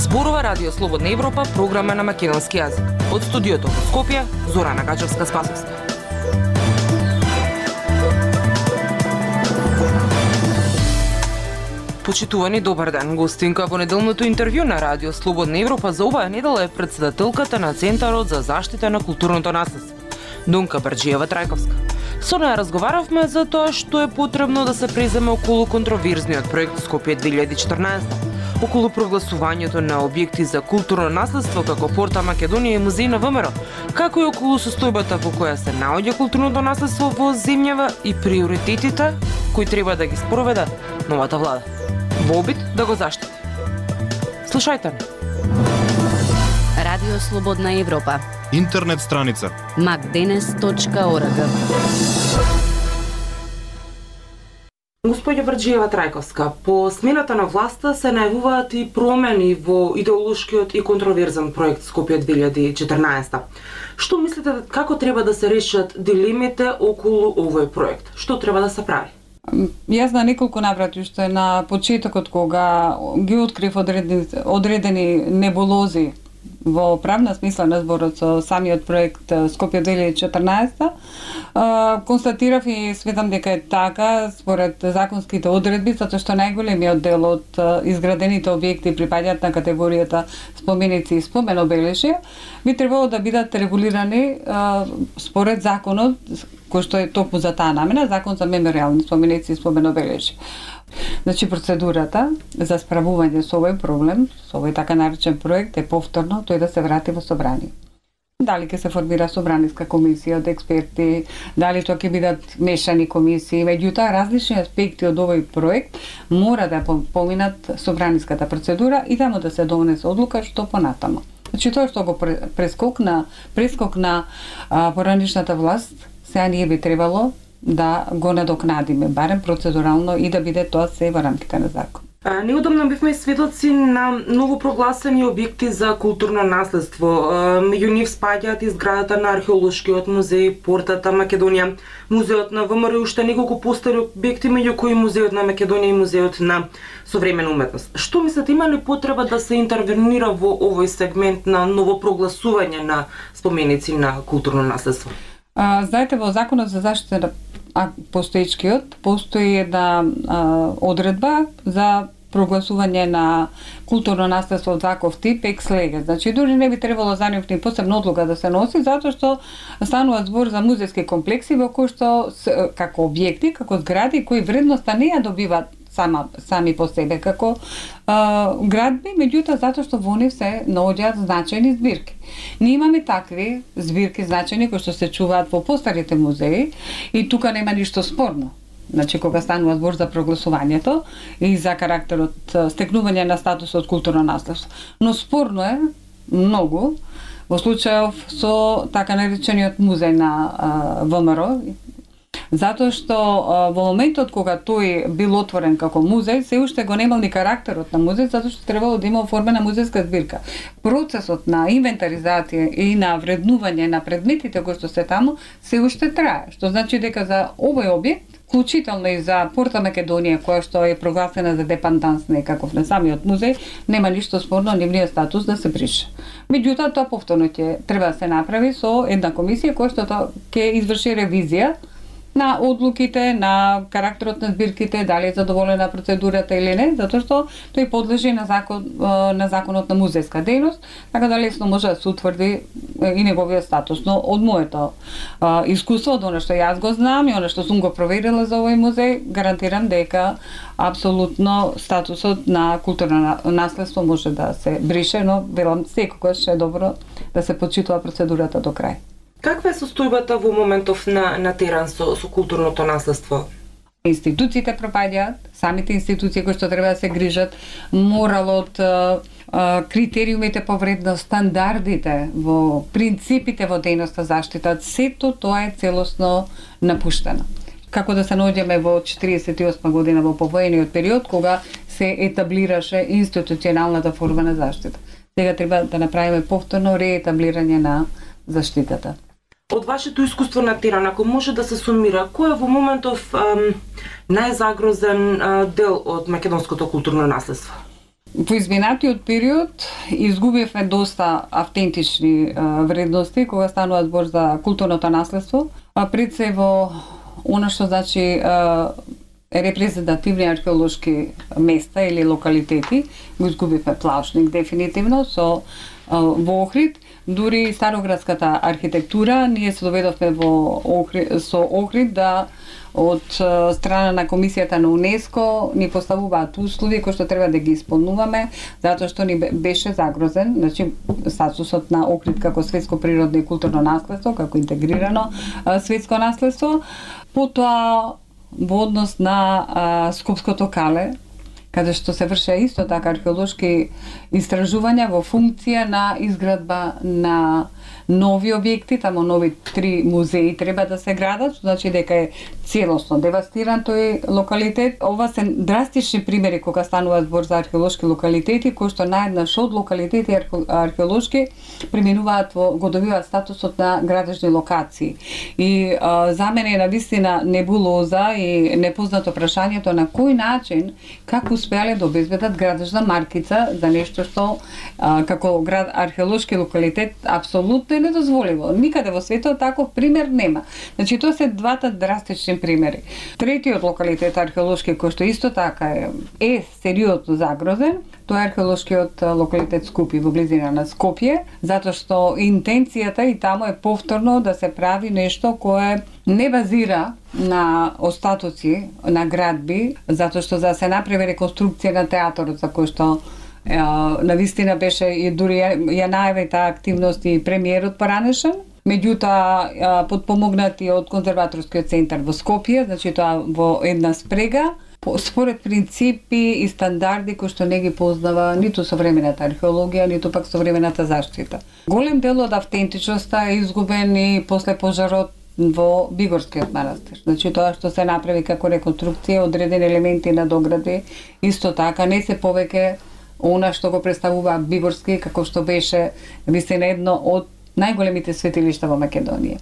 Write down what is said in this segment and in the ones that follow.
Зборува Радио Слободна Европа, програма на македонски јазик. Од студиото во Скопје, Зорана Гаџевска-Спасовска. Почитувани, добар ден. Гостинка во неделното интервју на Радио Слободна Европа за оваа недела е претседателката на Центарот за заштита на културното наследство, Донка Барџиева-Трајковска. Со неја разговаравме за тоа што е потребно да се преземе околу контроверзниот проект Скопје 2014, околу прогласувањето на објекти за културно наследство како Порта Македонија и Музеј на ВМРО, како и околу состојбата во која се наоѓа културното наследство во земјава и приоритетите кои треба да ги спроведе новата влада во обид да го заштити. Слушајте ме. Радио Слободна Европа. Интернет страница macdenes.org. Господја Барџиева-Трајковска, по смената на власта се најавуваат и промени во идеолошкиот и контроверзен проект Скопје 2014. Што мислите како треба да се решат дилемите околу овој проект? Што треба да се прави? Јас на неколку наврати уште на почетокот кога ги открив одредени небулози во правна смисла на зборот со самиот проект Скопје 2014, констатирав и сметам дека е така според законските одредби, затоа што најголемиот дел од изградените објекти припаѓаат на категоријата споменици и споменобележја, би требало да бидат регулирани според законот кој што е токму за таа намена, закон за меморијални споменици и споменобележја. Значи, процедурата за справување со овој проблем, со овој така наречен проект, е повторно тој да се врати во собрание. Дали ќе се формира собраниска комисија од експерти, дали тоа ќе бидат мешани комисии, меѓутоа различни аспекти од овој проект мора да поминат собраниската процедура и таму да се донесе одлука што понатаму. Значи, тоа што го прескок на поранишната власт, сега ние би требало да го надокнадиме, барем процедурално, и да биде тоа се во рамките на закон. Неодамна бивме сведоци на новопрогласени објекти за културно наследство. Меѓу нив спаѓаат и зградата на археолошкиот музеј, Портата Македонија, музеот на ВМРО и уште неколку постари објекти, меѓу кои музеот на Македонија и музеот на современа уметност. Што мислите, има ли потреба да се интервенира во овој сегмент на новопрогласување на споменици на културно наследство? Знаете, во Законот за заштита на постоечкиот постои една одредба за прогласување на културно наследство од ваков тип екс леге. Значи, дури не би требало за нив ни посебна одлука да се носи, затоа што станува збор за музејски комплекси во кои што како објекти, како згради кои вредноста не ја добиваат сами по себе како градби, меѓутоа затоа што во нив се наоѓаат значајни збирки. Ние имаме такви збирки значајни кои што се чуваат во постарите музеи и тука нема ништо спорно. Значи, кога станува збор за прогласувањето и за карактерот, стекнување на статусот културно наследство. Но спорно е многу во случајов со така наречениот музеј на ВМРО, затоа што во моментот кога тој бил отворен како музеј, се уште го немал ни карактерот на музеј, затоа што требало да има оформена музејска збирка. Процесот на инвентаризација и на вреднување на предметите кои што се таму се уште трае, што значи дека за овој објект, вклучително и за Порта Македонија, која што е прогласена за депанданс некаков на самиот музеј, нема ништо спорно нивниот статус да се брише. Меѓутоа, тоа повторно ќе треба да се направи со една комисија која што ќе изврши ревизија на одлуките, на карактерот на збирките, дали е задоволена процедурата или не, затоа што тој подлежи на законот на музејска дејност, така да лесно може да се утврди и неговиот статус. Но од моето искуство, од оно што јас го знам и оно што сум го проверила за овој музеј, гарантирам дека апсолутно статусот на културно наследство може да се брише, но велам секогаш е добро да се почитува процедурата до крај. Каква е состојбата во моментов на терен со културното наследство? Институциите пропаѓаат, самите институции кои што треба да се грижат, моралот, критериумите по вредност, стандардите, во принципите во дејноста заштита, сето тоа е целосно напуштено. Како да се наоѓаме во 48 година во повоениот период кога се етаблираше институционалната форма на заштита. Сега треба да направиме повторно реетаблирање на заштитата. Од вашето искуство на терен, ако може да се сумира, кој е во моментов најзагрозен дел од македонското културно наследство? Во изминатиот период изгубивме доста автентични вредности кога станува збор за културното наследство, а пред се во она што значи репрезентативни археолошки места или локалитети, го изгубивме Плавшник дефинитивно со во Охрид, дури староградската архитектура, ние се доведовме со Охрид да од страна на Комисијата на УНЕСКО ни поставуваат услови кои што треба да ги исполнуваме, затоа што ни беше загрозен, значи статусот на Охрид како светско природно и културно наследство, како интегрирано светско наследство. Потоа во однос на Скопското кале, каде што се вршеа исто така археолошки истражувања во функција на изградба на нови објекти, тамо нови 3 музеи треба да се градат, значи дека е целосно девастиран тој локалитет. Ова се драстични примери кога станува збор за археолошки локалитети, кои што наеднаш од локалитети археолошки преминуваат го добиваат статусот на градежни локации. И за мене е навистина небулоза и непознато прашањето на кој начин, како успеале да обезбедат градежна маркица за нешто што како археолошки локалитет апсолутно е недозволиво. Никаде во светот таков пример нема. Значи тоа се двата драстични примери. Третиот локалитет археолошки кој што исто така е сериозно загрозен, тоа е археолошкиот локалитет Скупи во близина на Скопје, затоа што интенцијата и таму е повторно да се прави нешто кое не базира на остатоци на градби, затоа што за да се направи реконструкција на театарот за кој што навистина беше и дури ја најави таа активност и премиерот поранешен, меѓутоа подпомогнати од конзерваторскиот центар во Скопје, значи тоа во една спрега, според принципи и стандарди кои што не ги познава ниту современата археологија, ниту пак современата заштита. Голем дел од автентичноста е изгубен и после пожарот во Бигорскиот манастир. Значи тоа што се направи како реконструкција, одредени елементи на догради, исто така не се повеќе она што го представува Бигорски, како што беше вистина едно од најголемите светилишта во Македонија.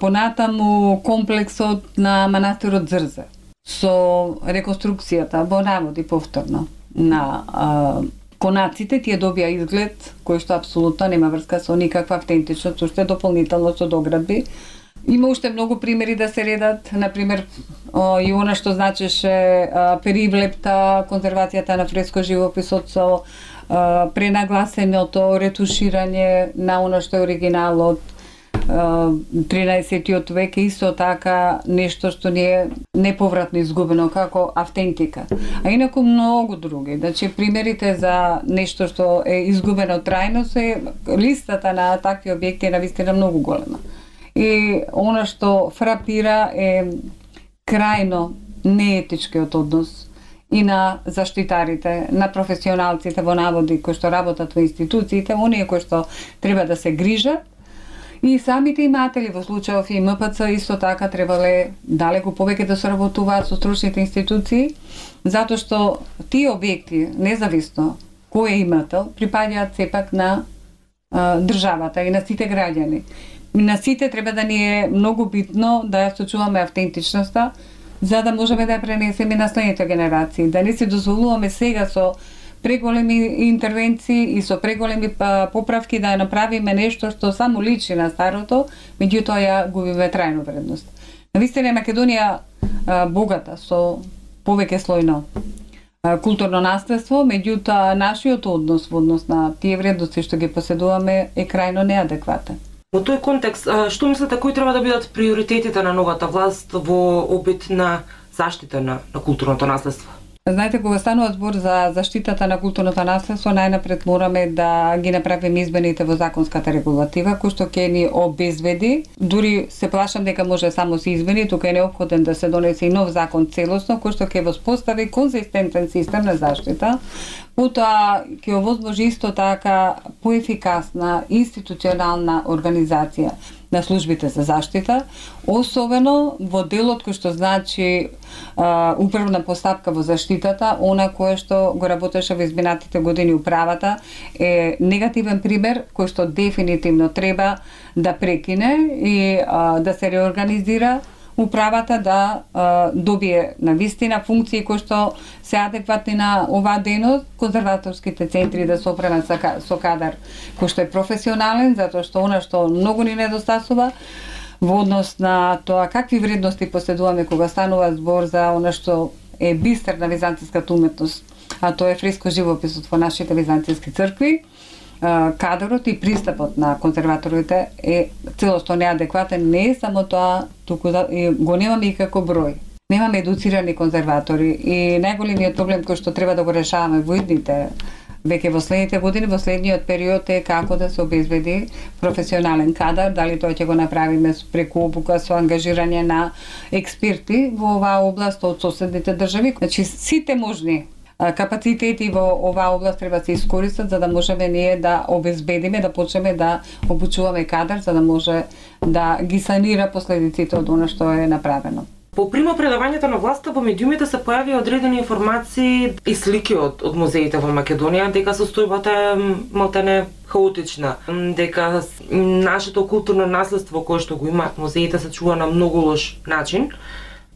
Понатаму комплексот на манастирот Зрзе со реконструкцијата во наводи повторно на конаците, тие добија изглед кој што апсолутно нема врска со никаква автентичност, уште дополнително со доградби. Има уште многу примери да се редат, например и она што значеше перивлепта, конзервацијата на фреско живописот со пренагласеното ретуширање на она што е оригинал од 13-тиот век, исто така нешто што не е неповратно изгубено како автентика. А инаку многу други. Значи примерите за нешто што е изгубено трајно се листата на такви објекти е навистина многу голема. И она што фрапира е крајно неетичкиот однос и на заштитарите, на професионалците во наводи кои што работат во институциите, оние кои што треба да се грижат, и самите иматели во случајов и МПЦ исто така требале далеку повеќе да соработуваат со стручните институции, затоа што тие објекти, независно кој е имател, припаѓаат сепак на државата и на сите граѓани. На сите треба да ни е многу битно да ја сочуваме автентичноста, за да можеме да ја пренесеме на следните генерации, да не се дозволуваме сега со преголеми интервенции и со преголеми поправки да ја направиме нешто што само личи на старото, меѓутоа ја губиме трајно вредност. Навистина Македонија богата со повеќе слојно културно наследство, меѓутоа нашиот однос во однос на тие вредности што ги поседуваме е крајно неадекватен. Во тој контекст, што мислите кои треба да бидат приоритетите на новата власт во обид на заштита на културното наследство? Знаете, кога станува збор за заштитата на културното наследство, најнапред мораме да ги направиме измените во законската регулатива, кој што ќе ни обезбеди. Дури се плашам дека може само се измени, тука е неопходен да се донесе и нов закон целосно, кој што ќе воспостави конзистентен систем на заштита. Потоа ќе овозможи исто така поефикасна институционална организација на службите за заштита, особено во делот кој што значи управна постапка во заштитата, она кое што го работеше во изминатите години управата, е негативен пример кој што дефинитивно треба да прекине и да се реорганизира, управата да добие на вистина функции кои што се адекватни на оваа дејност, конзерваторските центри да се опремат со кадар кој што е професионален, затоа што она што многу ни недостасува во однос на тоа какви вредности поседуваме кога станува збор за она што е бистер на византиската уметност, а тоа е фреско живописот во нашите византиски цркви. Кадрот и пристапот на конзерваторите е целосно неадекватен, не е само тоа, туку го немаме и како број. Немаме едуцирани конзерватори и најголемиот проблем кој што треба да го решаваме во идните веќе во следните години, во следниот период е како да се обезбеди професионален кадар, дали тоа ќе го направиме преку обука со ангажирање на експерти во оваа област од соседните држави. Значи сите можни капацитети во оваа област треба да се искористат за да можеме ние да обезбедиме, да почнеме да обучуваме кадар за да може да ги санира последиците од она што е направено. По примопредавањето на власта во медиумите се појави одредени информации и слики од музеите во Македонија дека состојбата е малтене хаотична, дека нашето културно наследство кое што го имаат музеите се чува на многу лош начин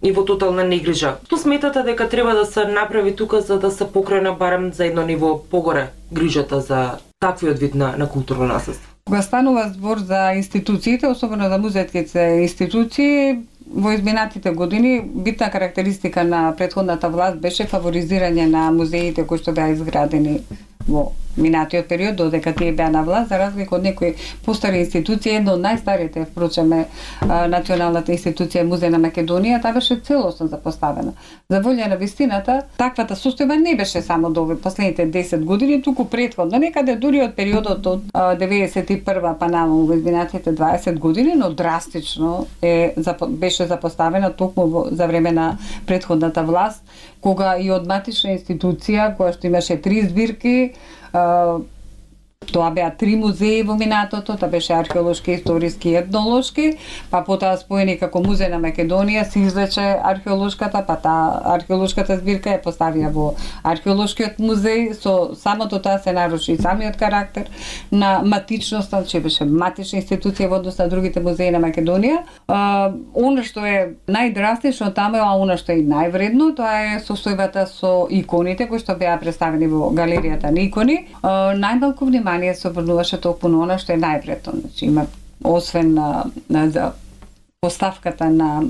и во тотална негрижа. Што сметате дека треба да се направи тука за да се покрене барем за едно ниво погоре грижата за таквиот вид на културно наследство? Кога станува збор за институциите, особено за музејските институции, во изминатите години битна карактеристика на претходната власт беше фаворизирање на музеите кои што беа изградени во минатиот период додека тие беа на власт, за разлика од некои постари институции. Едно од најстарите, впрочем, е Националната институција Музеј на Македонија, таа беше целосно запоставена. За волја на вистината, таквата состојба не беше само до последните 10 години, туку претходно, некаде дури од периодот од 91 па наму во изминатите 20 години, но драстично беше запоставена токму за време на претходната власт, кога и од матична институција, која што имаше 3 збирки, тоа беа 3 музеи во минатото, тоа беше археолошки, историски и етнолошки, па потоа споени како Музеј на Македонија се извлече археолошката, па таа археолошката збирка ја поставија во археолошкиот музеј, со самото тоа се наруши самиот карактер на матичноста, че беше матична институција во однос на другите музеи на Македонија. Она што е најдрастично таму, а она што е и највредно, тоа е состојбата со иконите кои што беа представени во галеријата на икони. Најмалку внимание се обрнуваше токму на она што е највредно. Значи има освен за поставката на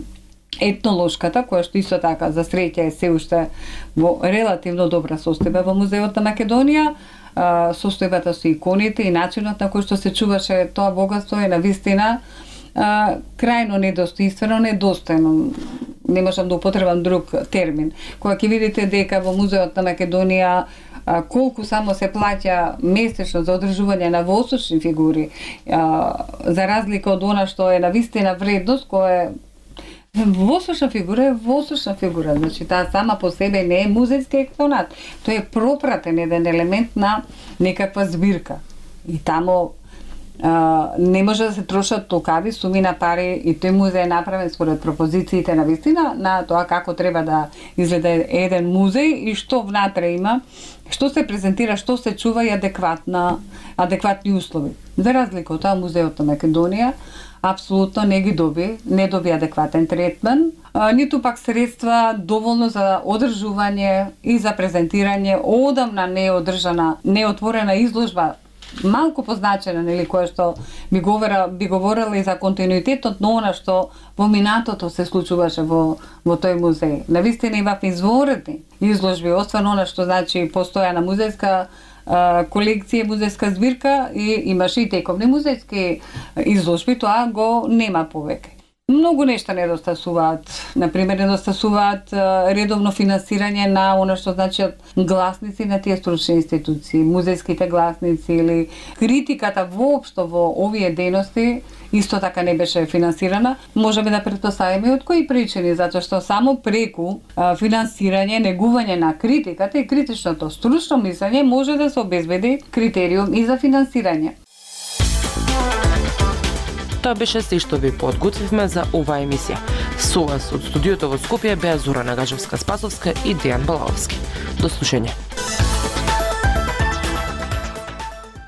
етнолошката, која што исто така за среќа е се уште во релативно добра состојба во Музеот на Македонија, состојбата со иконите и начинот на кој што се чуваше тоа богатство е навистина крајно недостоинствено, недостојно. Не можам да употребам друг термин. Кога ќе видите дека во Музеот на Македонија колку само се плаќа месечно за одржување на восочни фигури, за разлика од она што е навистина вредност, која е восочна фигура е восочна фигура, значи таа сама по себе не е музејски експонат, тоа е пропратен еден елемент на некаква збирка. И таму не може да се трошат толкави суми на пари и тој музеј е направен според пропозициите на вистина на тоа како треба да изгледа еден музеј и што внатре има, што се презентира, што се чува и адекватни услови. За разлика од тоа Музеот на Македонија апсолутно не доби адекватен третман, ниту пак средства доволно за одржување и за презентирање одамна неотворена изложба, малку позначена, нели, која што би говорела и за континуитетот на она што во минатото се случуваше во тој музеј. Навистина имав изворедни изложби, освен она што значи постојана музејска колекција, музејска збирка и имаше и тековни музејски изложби, тоа го нема повеќе. Многу нешта недостасуваат. Например, недостасуваат редовно финансирање на она што значат гласници на тие стручни институции, музејските гласници или критиката воопшто во овие дејности исто така не беше финансирана. Можеме да претпоставиме од кои причини, затоа што само преку финансирање, негување на критиката и критичното стручно мислење може да се обезбеди критериум и за финансирање. Тоа беше се што ви подготвивме за оваа емисија. Со вас од студиото во Скопје беа Зора Нагачевска-Спасовска и Дејан Балаовски. До слушање.